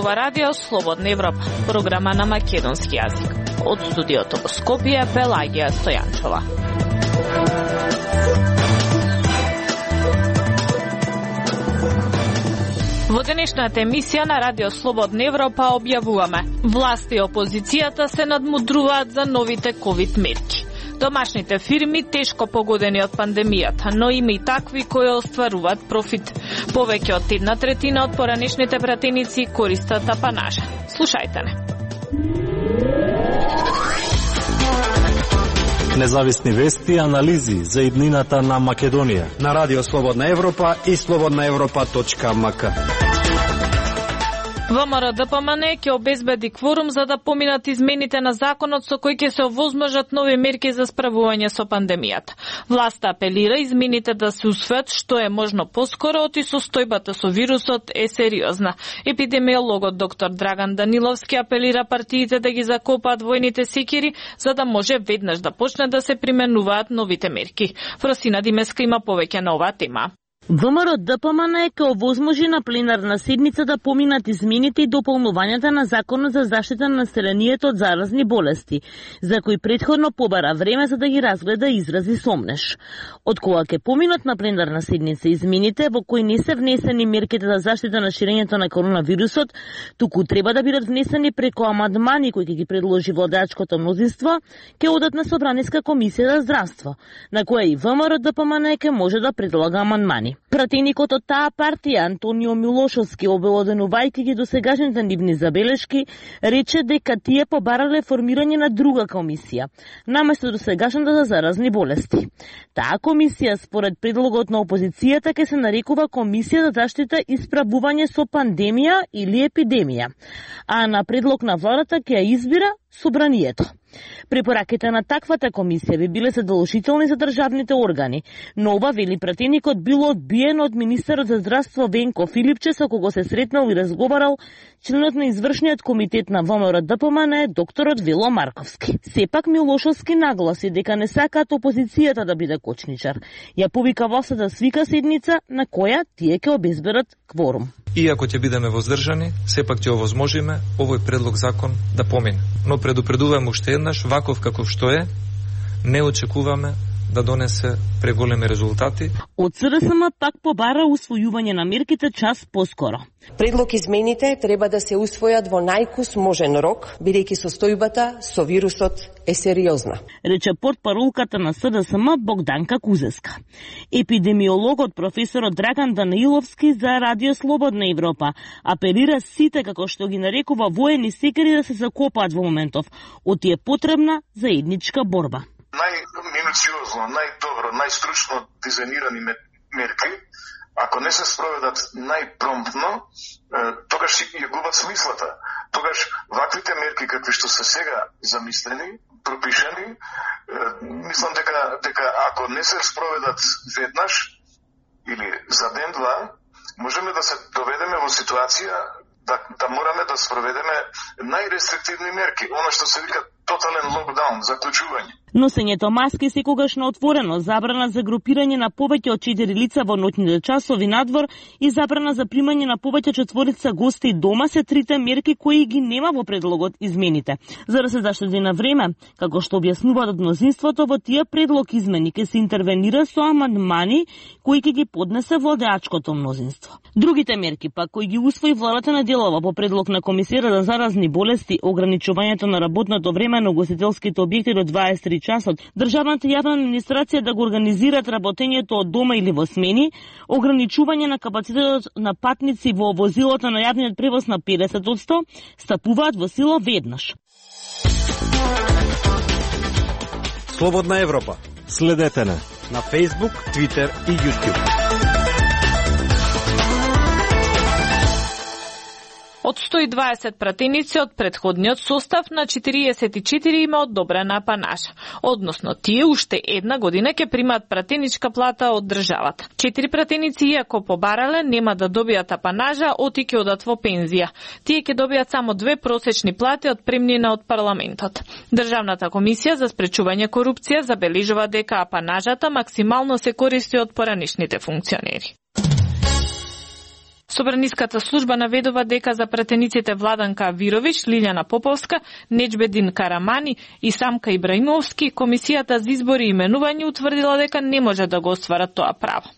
ова радио Слободна Европа, програма на македонски јазик. Од студиото во Скопје, Пелагија Стојанчова. Во денешната емисија на Радио Слободна Европа објавуваме: власт и опозицијата се надмудруваат за новите ковид мерки. Домашните фирми тешко погодени од пандемијата, но има и такви кои остваруваат профит. Повеќе од 1/3 од поранешните пратеници користат апанажа. Слушајте не. Независни вести и анализи за иднината на Македонија на Радио Слободна Европа и slobodnaevropa.mk. ВМРО ДПМН ќе обезбеди кворум за да поминат измените на законот со кои ќе се овозможат нови мерки за справување со пандемијата. Власта апелира измените да се усвојат што е можно поскоро, оти состојбата со вирусот е сериозна. Епидемиологот доктор Драган Даниловски апелира партиите да ги закопаат војните секири за да може веднаш да почне да се применуваат новите мерки. Фросина Димеска има повеќе на оваа тема. ВМРО ДПМН ќе овозможи на пленарна седница да поминат измените и дополнувањата на Законот за заштита на населението од заразни болести, за кои претходно побара време за да ги разгледа и изрази сомнеш. Од кога ќе поминат на пленарна седница измените во кои не се внесени мерките за заштита на ширењето на коронавирусот, туку треба да бидат внесени преку амандмани кои ќе ги предложи владеачкото мнозинство, ќе одат на Собраниска комисија за здравство, на која и ВМРО ДПМН ќе може да предлага амандмани. Пратеникот од таа партија Антонио Милошовски, обелоденувајќи ги досегашните нивни забелешки, рече дека тие побарале формирање на друга комисија, наместо досегашната за заразни болести. Таа комисија, според предлогот на опозицијата, ќе се нарекува Комисија за заштита и справување со пандемија или епидемија, а на предлог на владата ќе ја избира Собранието. Препораките на таквата комисија би биле задолжителни за државните органи, но ова, вели пратеникот, било одбиено од министерот за здравство Венко Филипче, со кого се сретнал и разговарал членот на извршниот комитет на ВМРО ДПМН, докторот Вело Марковски. Сепак Милошовски нагласи дека не сакаат опозицијата да биде кочничар. Ја повика власта да свика седница на која тие ќе обезберат кворум. Иако ќе бидеме воздржани, сепак ќе овозможиме овој предлог закон да помине. Но предупредуваме уште еднаш, ваков каков што е, не очекуваме да донесе преголеми резултати. Од СРСМ пак побара усвојување на мерките час поскоро. Предлог измените треба да се усвојат во најкус можен рок, бидејќи состојбата со вирусот е сериозна, рече портпаролката на СДСМ Богданка Кузеска. Епидемиологот професорот Драган Даниловски за Радио Слободна Европа апелира сите, како што ги нарекува, воени секири да се закопаат во моментов, оти е потребна заедничка борба. Најминуциозно, најдобро, најстручно дизајнирани мерки, ако не се спроведат најпромптно, тогаш ја губат смислата. Тогаш ваквите мерки какви што се сега замислени, пропишени, мислам дека ако не се спроведат веднаш или за ден-два, можеме да се доведеме во ситуација да мораме да спроведеме најрестриктивни мерки, она што се вика тотален локдаун, заклучување. Носењето маски секогаш на отворено, забрана за групирање на повеќе од 4 лица во ноќните часови надвор и забрана за примање на повеќе четворица гости дома се трите мерки кои ги нема во предлогот измените. За да се заштеди на време, како што објаснуваат од мнозинството, во тие предлог измени ќе се интервенира со амандмани кои ќе ги поднесе владеачкото мнозинство. Другите мерки пак кои ги усвои владата на делова по предлог на Комисија за заразни болести, ограничувањето на работното време на угостителските објекти до 23 часот, државната јавна администрација да го организираат работењето од дома или во смени, ограничување на капацитетот на патници во возилото на јавниот превоз на 50%, стапуваат во сила веднаш. Слободна Европа. Следете на Facebook, Twitter и YouTube. Од 120 пратеници од претходниот состав на 44 има одобрена апанажа. Односно, тие уште една година ќе примаат пратеничка плата од државата. 4 пратеници, иако побарале, нема да добијат апанажа, оти ќе одат во пензија. Тие ќе добијат само 2 просечни плати од премнина од парламентот. Државната комисија за спречување корупција забележува дека апанажата максимално се користи од поранешните функционери. Собраниската служба наведува дека за пратениците Владанка Авировиќ, Лилјана Поповска, Неџбедин Карамани и Самка Ибраимовски, комисијата за избори и именување утврдила дека не може да го остварат тоа право.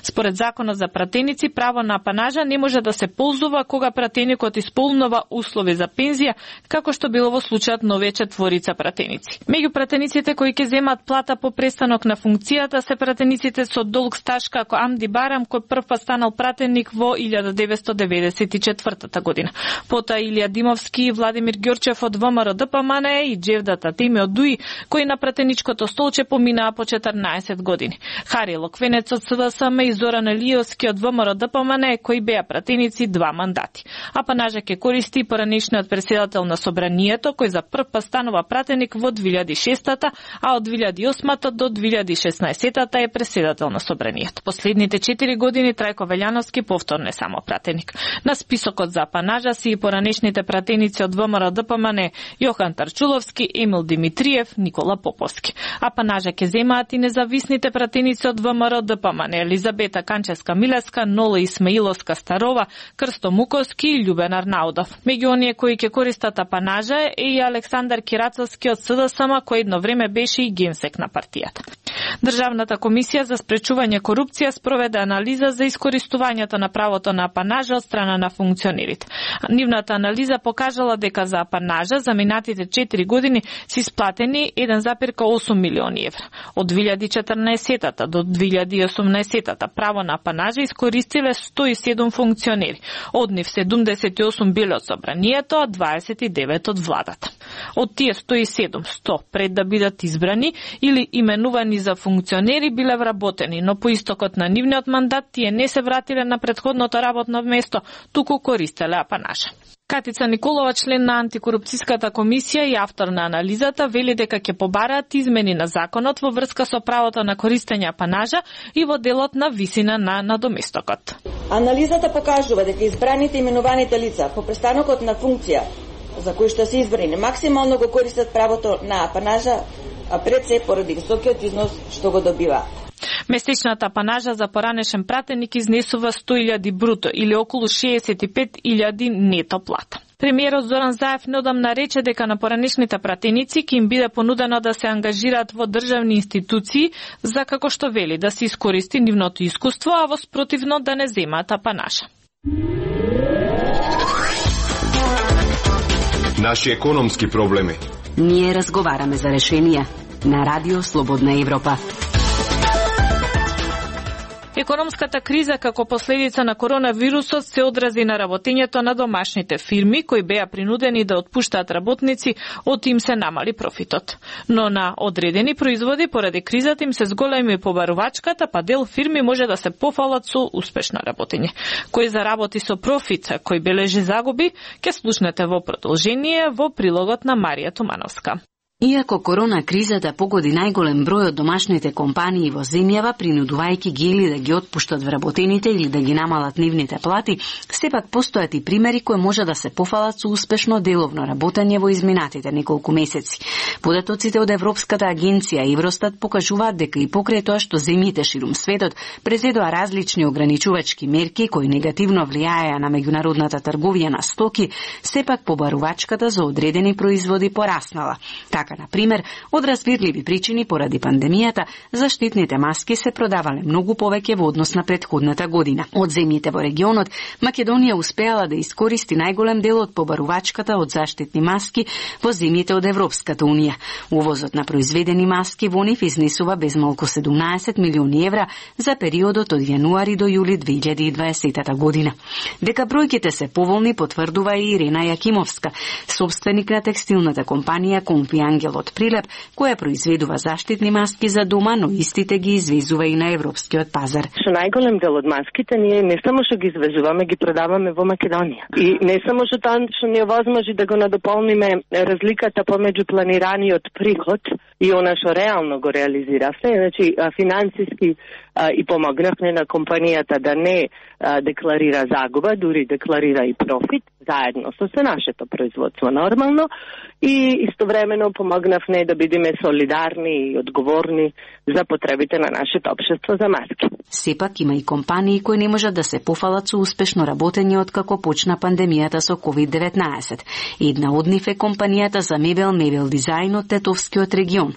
Според законот за пратеници, право на апанажа не може да се ползува кога пратеникот исполнува услови за пензија, како што било во случајот на овие четворица пратеници. Меѓу пратениците кои ќе земат плата по престанок на функцијата се пратениците со долг стаж како Амди Барам, кој прв станал пратеник во 1994 година. Потоа Илија Димовски и Владимир Ѓорчев од ВМРО ДПМН и Џевдата Теми од ДУИ, кои на пратеничкото столче поминаа по 14 години. Хари Локвенец од СДСМ и Зоран Елиовски од ВМРО ДПМН, кои беа пратеници 2 мандати. Апанажа ќе користи и поранешниот председател на Собранието, кој за прв пат станува пратеник во 2006-та, а од 2008-та до 2016-та е председател на Собранието. Последните 4 години Трајко Велјановски повторно е само пратеник. На списокот за апанажа си и поранешните пратеници од ВМРО ДПМН Јохан Тарчуловски, Емил Димитриев, Никола Поповски. Апанажа ќе земаат и независните пратеници од ВМРО ДПМН Елизабета Канческа Милеска, Нола Исмаиловска Старова, Крсто Муковски и Љубен Арнаудов. Меѓу оние кои ќе користат апанажа е и Александар Кирацовски од СДСМ, кој едно време беше и генсек на партијата. Државната комисија за спречување корупција спроведе анализа за искористувањето на правото на апанажа од страна на функционерите. Нивната анализа покажала дека за апанажа за минатите 4 години се исплатени 1,8 милиони евра. Од 2014 до 2018 право на апанажа искористиле 107 функционери. Од нив 78 биле од Собранието, а 29 од владата. Од тие 100 пред да бидат избрани или именувани за функционери биле вработени, но по истокот на нивниот мандат тие не се вратиле на претходното работно место, туку користеле апанажа. Катица Николова, член на антикорупцијската комисија и автор на анализата, вели дека ќе побараат измени на законот во врска со правото на користење апанажа и во делот на висина на надоместокот. Анализата покажува дека избраните именуваните лица по престанокот на функција за кои што се избрани максимално го користат правото на апанажа, а пред се поради високиот износ што го добива. Месечната апанажа за поранешен пратеник изнесува 100.000 бруто или околу 65.000 нето плата. Премиерот Зоран Заев неодамна рече дека на поранешните пратеници ќе им биде понудено да се ангажираат во државни институции за, како што вели, да се искористи нивното искуство, а во спротивно да не земаат апанажа. Наши економски проблеми. Ние разговараме за решенија на Радио Слободна Европа. Економската криза како последица на коронавирусот се одрази на работењето на домашните фирми, кои беа принудени да отпуштаат работници, од им се намали профитот. Но на одредени производи поради кризата им се зголеми побарувачката, па дел фирми може да се пофалат со успешно работење. Кој заработи со профит, кој бележи загуби, ќе слушнете во продолжение во прилогот на Марија Тумановска. Иако корона кризата погоди најголем број од домашните компании во земјава, принудувајќи ги или да ги отпуштат вработените или да ги намалат нивните плати, сепак постојат и примери кои може да се пофалат со успешно деловно работење во изминатите неколку месеци. Податоците од Европската агенција Евростат покажуваат дека и покрај тоа што земјите ширум светот презедоа различни ограничувачки мерки кои негативно влијаеа на меѓународната трговија на стоки, сепак побарувачката за одредени производи пораснала. Така, например, од разбирливи причини поради пандемијата, заштитните маски се продавале многу повеќе во однос на претходната година. Од земјите во регионот, Македонија успеала да искористи најголем дел од побарувачката од заштитни маски во земјите од Европската унија. Увозот на произведени маски во нив изнесува безмалку 17 милиони евра за периодот од јануари до јули 2020 година. Дека бројките се поволни потврдува и Ирена Јакимовска, собственик на текстилната компанија Компи Ангел од Прилеп, која произведува заштитни маски за дома, но истите ги извезува и на европскиот пазар. Со најголем дел од маските ние не само што ги извезуваме, ги продаваме во Македонија. И не само што тоа што ни овозможи да го надополниме разликата помеѓу планираниот приход и она што реално го реализиравме, значи финансиски и помогнавме на компанијата да не декларира загуба, дури декларира и профит, заедно со се нашето производство нормално, и истовремено помогнавме да бидеме солидарни и одговорни за потребите на нашето општество за маски. Сепак има и компании кои не можат да се пофалат со успешно работење откако почна пандемијата со COVID-19. Една од нив е компанијата за мебел дизајн од Тетовскиот регион.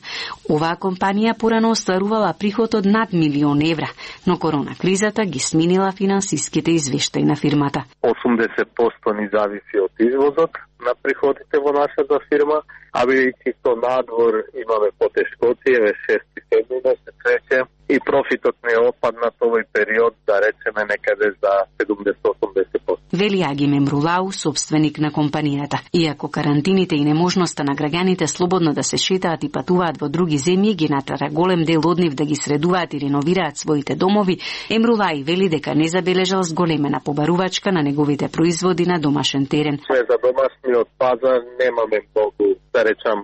Оваа компанија порано остварувала приход од над €1.000.000, но корона кризата ги сминила финансиските извештаи на фирмата. 80% ни зависи од извозот на приходите во нашата фирма, а бидејќи со надвор имаме потешкоти, 6-7 месец рече, и профитот не опадна овој период, да речеме некаде за 70-80%. Вели Аги Мемрулау, собственик на компанијата. Иако карантините и неможноста на граѓаните слободно да се шетаат и патуваат во други земји ги натера голем дел од нив да ги средуваат и реновираат своите домови, Емрулаи вели дека не забележал зголемена побарувачка на неговите производи на домашен терен. За домашниот пазар немаме многу, да речам,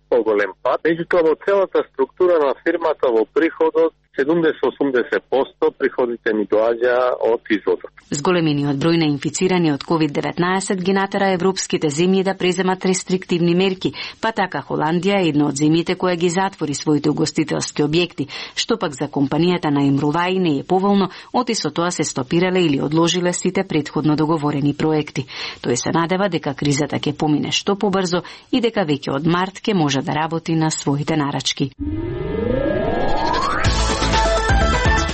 поголем пат. Меѓутоа во целата структура на фирмата во приходот 70-80% приходите ни доаѓа од извозот. Зголемениот број на инфицирани од COVID-19 ги натера европските земји да преземат рестриктивни мерки, па така Холандија е една од земјите која ги затвори своите угостителски објекти, што пак за компанијата на Емрулаи не е поволно, оти со тоа се стопирале или одложиле сите претходно договорени проекти. Тој се надева дека кризата ќе помине што побрзо и дека веќе од март ќе може да работи на своите нарачки.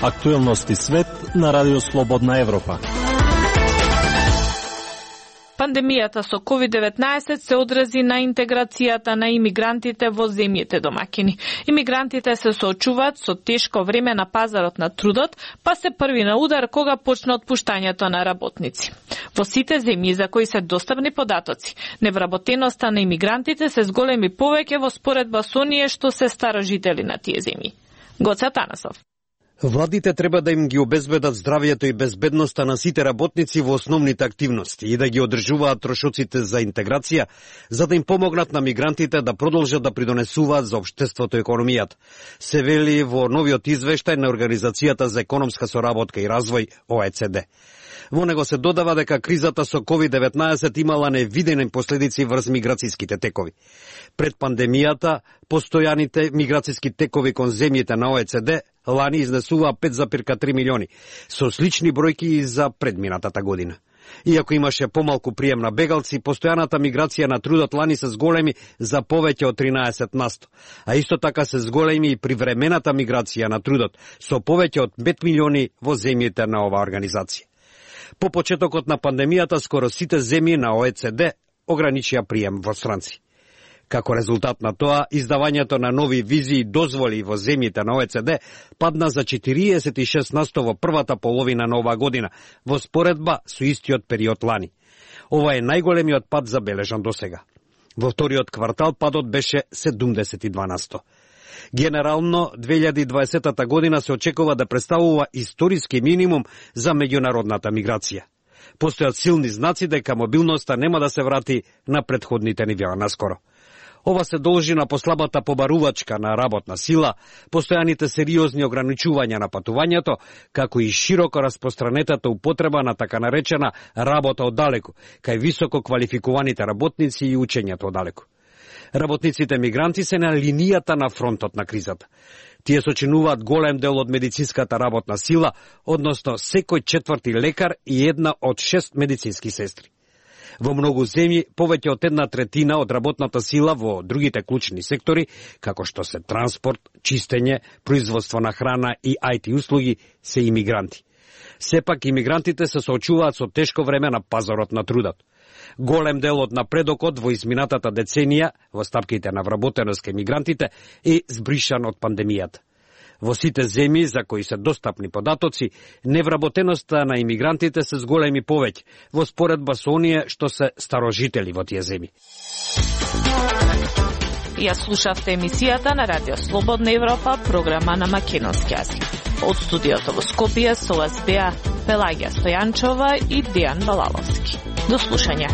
Актуелности свет на Радио Слободна Европа. Пандемијата со COVID-19 се одрази на интеграцијата на имигрантите во земјите домакини. Имигрантите се соочуваат со тешко време на пазарот на трудот, па се први на удар кога почна отпуштањето на работници. Во сите земји за кои се достапни податоци, невработеноста на имигрантите се зголеми повеќе во споредба со оние што се старожители на тие земји. Гоце Танасов. Владите треба да им ги обезбедат здравјето и безбедноста на сите работници во основните активности и да ги одржуваат трошоците за интеграција, за да им помогнат на мигрантите да продолжат да придонесуваат за општеството и економијата. Се вели во новиот извештај на Организацијата за економска соработка и развој ОЕЦД. Во него се додава дека кризата со COVID-19 имала невидени последици врз миграцијските текови. Пред пандемијата, постојаните миграцијски текови кон земјите на ОЕЦД лани изнесуваа 5,3 милиони, со слични бројки и за предминатата година. Иако имаше помалку прием на бегалци, постојаната миграција на трудот лани се зголеми за повеќе од 13%, а исто така се зголеми и привремената миграција на трудот, со повеќе од 5 милиони во земјите на оваа организација. По почетокот на пандемијата, скоро сите земји на ОЕЦД ограничија прием во странци. Како резултат на тоа, издавањето на нови визи и дозволи во земјите на ОЕЦД падна за 46% во првата половина на оваа година, во споредба со истиот период лани. Ова е најголемиот пад забележан досега. Во вториот квартал падот беше 72%. Генерално, 2020 година се очекува да представува историски минимум за меѓународната миграција. Постојат силни знаци дека мобилноста нема да се врати на претходните нивоа наскоро. Ова се должи на послабата побарувачка на работна сила, постојаните сериозни ограничувања на патувањето, како и широко распространетата употреба на така наречена работа оддалеку, кај високо квалификуваните работници и учењето оддалеку. Работниците мигранти се на линијата на фронтот на кризата. Тие сочинуваат голем дел од медицинската работна сила, односно секој четврти лекар и една од 6 медицински сестри. Во многу земји, повеќе од 1/3 од работната сила во другите клучни сектори, како што се транспорт, чистење, производство на храна и IT услуги, се имигранти. Сепак, имигрантите се соочуваат со тешко време на пазарот на трудот. Голем дел од напредокот во изминатата деценија во стапките на вработеност кај мигрантите е збришан од пандемијата. Во сите земји за кои се достапни податоци, невработеноста на имигрантите се зголеми повеќе во споредба со оние што се старожители во тие земји. Ја слушавте емисијата на Радио Слободна Европа, програма на македонски јазик. Од студиото во Скопје со вас беа Пелагија Стојанчова и Дејан Балаловски. До слушање.